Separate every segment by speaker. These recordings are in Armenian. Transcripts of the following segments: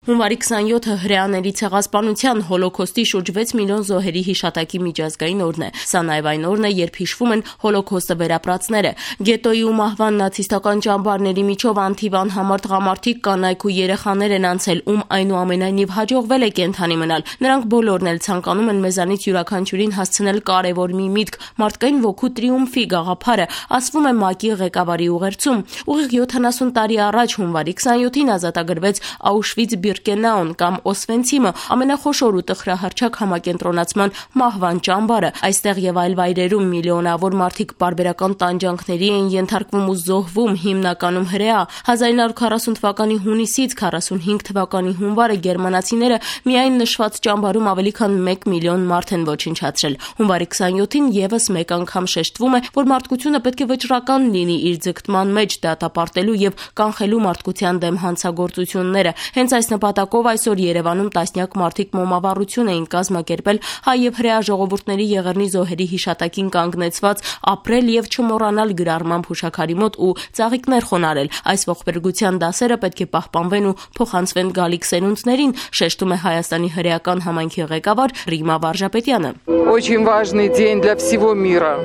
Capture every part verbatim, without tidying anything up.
Speaker 1: Հունվարի քսաներկուը հրեաների ցեղասպանության հոլոքոստի շուրջ վեց միլիոն զոհերի հիշատակի միջազգային օրն է։ Սա նաև այն օրն է, երբ հիշվում են հոլոքոստը վերապրածները։ Գետոյի ու մահվան նացիստական ճամբարների միջով անթիվ անհամար տղամարդիկ, կանայք ու երեխաներ են անցել, ում այնուամենայնիվ հաջողվել է կենդանի մնալ։ Նրանք բոլորն էլ ցանկանում են մեզանից յուրաքանչյուրին հասցնել կարևոր մի միտք՝ մարդկային ոգու տրիումֆի գաղափարը, ասվում է ՄԱԿ-ի ղեկավարի ուղերձում։ Ուղիղ յոթանասուն տարի առաջ հունվարի քսաներկուին ազատագրվեց Auschwitz-Birkenau կամ Օսվենցիմը, ամենախոշոր ու տխրահարճակ համակենտրոնացման մահվան ճամբարը։ Այստեղ եւ այլ վայրերում միլիոնավոր մարդիկ պարբերական տանջանքների են ենթարկվում ու զոհվում, հիմնականում հրեա։ հազար իննյակ հարյուր քառասուն թվականի հունիսից քառասունհինգ թվականի հունվարը գերմանացիները միայն նշված ճամբարում ավելի քան մեկ միլիոն մարդ են ոչնչացրել։ Հունվարի քսաներկուին եւս մեկ անգամ շեշտվում է, որ մարդկությունը պետք է վճռական լինի իր ձգտման մեջ դատապարտելու եւ կանխելու մարդկության դեմ հանցագործությունները։ Հենց այս նպատակով այսօր Երևանում տասնյակ մարդիկ մոմավառություն էին կազմակերպել հայ եւ հրեա ժողովուրդների եղեռնի զոհերի հիշատակին կանգնեցված ապրել եւ չմոռանալ գրառման հուշաքարի մոտ ու ծաղիկներ խոնարհել։ Այս ողբերգության դասերը պետք է պահպանվեն ու փոխանցվեն գալիք սերունդներին, շեշտում է Հայաստանի հրեական համայնքի ղեկավար Ռիմա Վարժապետյանը։
Speaker 2: Очень важный день для всего мира,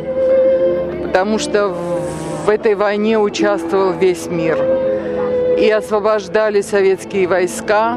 Speaker 2: потому что в этой войне участвовал весь мир. И освобождали советские войска,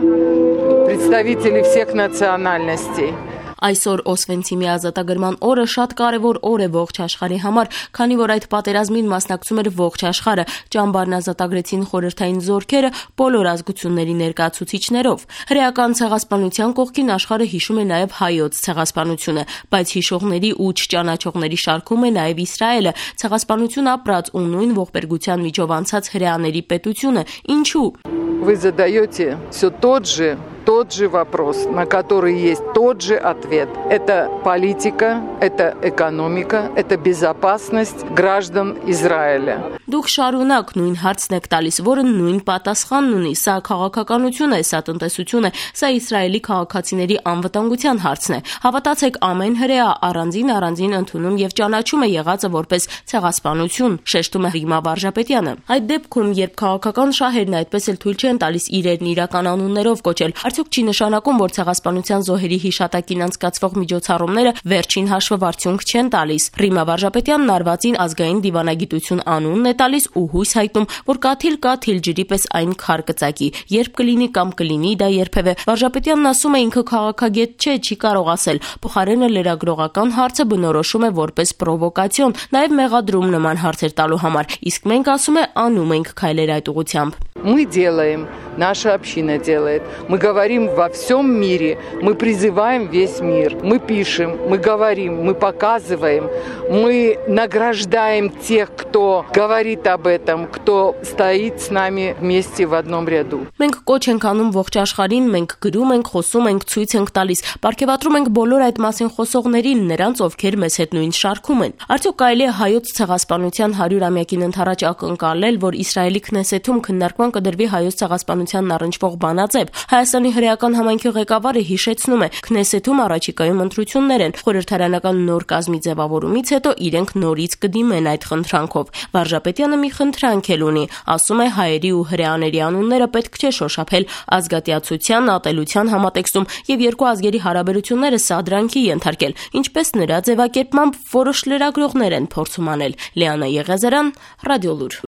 Speaker 2: представители всех национальностей.
Speaker 1: Այսօր Օսվենցիմի ազատագրման օրը շատ կարևոր օր է ողջ աշխարհի համար, քանի որ այդ պատերազմին մասնակցում էր ողջ աշխարհը։ Ճամբարն ազատագրեցին խորհրդային զորքերը բոլոր ազգությունների ներկայացուցիչներով։ Հրեական ցեղասպանության կողքին աշխարհը հիշում է նաև հայոց ցեղասպանությունը, բայց հիշողների ու չճանաչողների շարքում է նաև Իսրայելը, ցեղասպանություն ապրած ու նույն ողբերգության միջով անցած հրեաների պետությունը։ Ինչու։
Speaker 2: Вы задаете все тот же тот же вопрос, на который есть тот же ответ. Это политика, это экономика, это безопасность граждан Израиля.
Speaker 1: Դուք շարունակ նույն հարցն եք տալիս, որը նույն պատասխանն ունի։ Սա քաղաքականություն է, սա տնտեսություն է, սա Իսրայելի քաղաքացիների անվտանգության հարցն է։ Հավատացեք, ամեն հրեա առանձին առանձին ընդունում եւ ճանաչում է եղածը որպես ցեղասպանություն, շեշտում է Ռիմա Վարժապետյանը։ Այդ դեպքում, երբ քաղաքական շահերն այդպես էլ թույլ չեն տալիս իրերն իրական անուններով կոչել, արդյոք չի նշանակում, որ ցեղասպանության զոհերի հիշատակին անցկացվող միջոցառումները վերջին հաշվով արդյունք չեն տալիս։ Ռիմա Վարժապետյանն արվածին ազգային դիվանագիտություն անունն է տալիս ու հույս հայտնում, որ կաթիլ-կաթիլ ջրի պես այն քար կծակի, երբ կլինի կամ կլինի դա երբևէ։ Վարժապետյանն ասում է, ինքը քաղաքագետ չէ, չի կարող ասել։ Փոխարենը լրագրողական հարցը բնորոշում է որպես պրովոկացիոն, նաև մեղադրում նման հարցեր տալու համար։ Իսկ մենք, ասում է, անում ենք քայլեր այդ ուղղությամբ։
Speaker 2: Мы делаем, наша община делает. Мы говорим во всем мире, мы призываем весь мир. Мы пишем, мы говорим, мы показываем, мы награждаем тех, кто говорит об этом, кто стоит с нами вместе в одном ряду.
Speaker 1: Մենք կոչ ենք անում ողջ աշխարհին, մենք գրում ենք, խոսում ենք, ցույց ենք տալիս, պարգևատրում ենք բոլոր այդ մասին խոսողներին, նրանց, ովքեր մեզ հետ նույն շարքում են։ Արդյոք կարելի է հայոց ցեղասպանության հարյուրամյակին ընդառաջ ակնկալել, որ Իսրայելի քնեսեթում քննարկման կդրվի հայոց ցեղասպանությանն առնչվող բանաձև։ Հայաստանի հրեական համայնքի ղեկավարը հիշեցնում է, քնեսեթում առաջիկայում ընտրություններ են, խորհրդարանական նոր կազմի ձևավորումից հետո իրենք նորից կդիմեն այդ խնդրանքով։ Վարժապետյանը մի խնդրանք էլ ունի, ասում է, հայերի ու հրեաների անունները պետք չէ շոշափել ազգատյացության, ատելության համատեքստում եւ երկու ազգերի հարաբերությունները սադրանքի ենթարկել, ինչպես նրա ձևակերպմամբ որոշ լրագրողներ են փորձում անել։ Լիանա Եղիազարյան, Ռադիոլուր։